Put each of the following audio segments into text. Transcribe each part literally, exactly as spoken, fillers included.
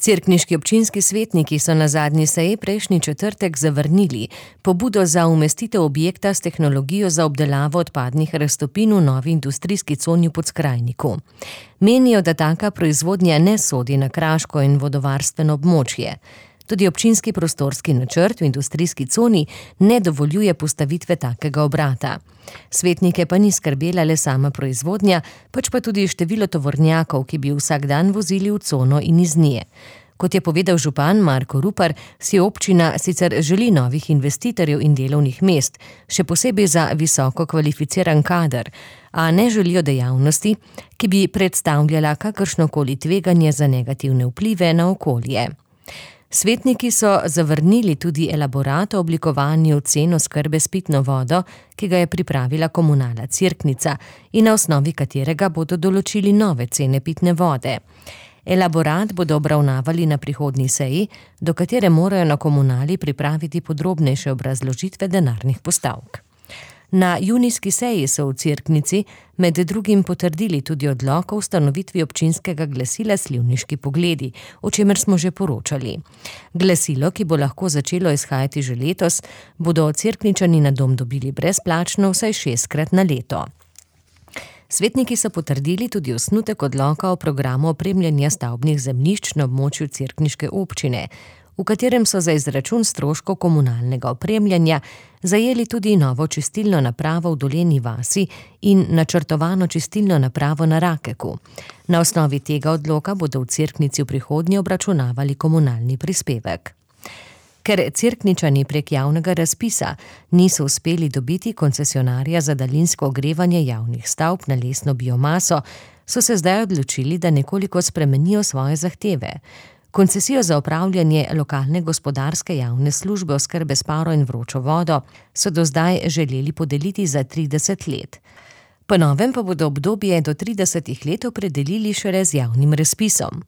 Cerkniški občinski svetniki so na zadnji seji prejšnji četrtek zavrnili pobudo za umestitev objekta s tehnologijo za obdelavo odpadnih raztopin v novi industrijski coni v Podskrajniku. Menijo, da taka proizvodnja ne sodi na kraško in vodovarstveno območje. Tudi občinski prostorski načrt v industrijski coni ne dovoljuje postavitve takega obrata. Svetnike pa ni skrbela le sama proizvodnja, pač pa tudi število tovornjakov, ki bi vsak dan vozili v cono in iz nje. Kot je povedal župan Marko Rupar, si občina sicer želi novih investitorjev in delovnih mest, še posebej za visoko kvalificiran kader, a ne želijo dejavnosti, ki bi predstavljala kakršnokoli tveganje za negativne vplive na okolje. Svetniki so zavrnili tudi elaborat o oblikovanju cen oskrbe s pitno vodo, ki ga je pripravila komunala Cerknica in na osnovi katerega bodo določili nove cene pitne vode. Elaborat bodo obravnavali na prihodnji seji, do katere morajo na komunali pripraviti podrobnejše obrazložitve denarnih postavk. Na junijski seji so v Cerknici med drugim potrdili tudi odlok o ustanovitvi občinskega glasila Slivniški pogledi, o čemer smo že poročali. Glasilo, ki bo lahko začelo izhajati že letos, bodo Cerkničani na dom dobili brezplačno vsaj šestkrat na leto. Svetniki so potrdili tudi osnutek odloka o programu opremljanja stavbnih zemljišč na območju cerkniške občine, v katerem so za izračun stroškov komunalnega opremljanja zajeli tudi novo čistilno napravo v Dolenji vasi in načrtovano čistilno napravo na Rakeku. Na osnovi tega odloka bodo v Cerknici v prihodnje obračunavali komunalni prispevek. Ker Cerkničani prek javnega razpisa niso uspeli dobiti koncesionarja za daljinsko ogrevanje javnih stavb na lesno biomaso, so se zdaj odločili, da nekoliko spremenijo svoje zahteve. Koncesijo za opravljanje lokalne gospodarske javne službe oskrbe s paro in vročo vodo so do zdaj želeli podeliti za trideset let. Po novem pa bodo obdobje do tridesetih let opredelili šele z javnim razpisom.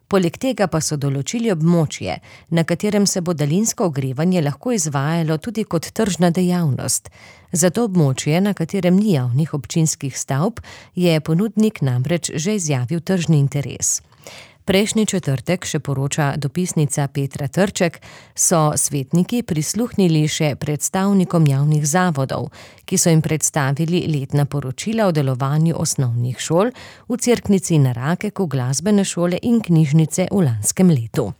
Poleg tega pa so določili območje, na katerem se bo daljinsko ogrevanje lahko izvajalo tudi kot tržna dejavnost. Za to območje, na katerem ni javnih občinskih stavb, je ponudnik namreč že izjavil tržni interes. Prejšnji četrtek, še poroča dopisnica Petra Trček, so svetniki prisluhnili še predstavnikom javnih zavodov, ki so jim predstavili letna poročila o delovanju osnovnih šol v Cerknici, na Rakeku, glasbene šole in knjižnice v lanskem letu.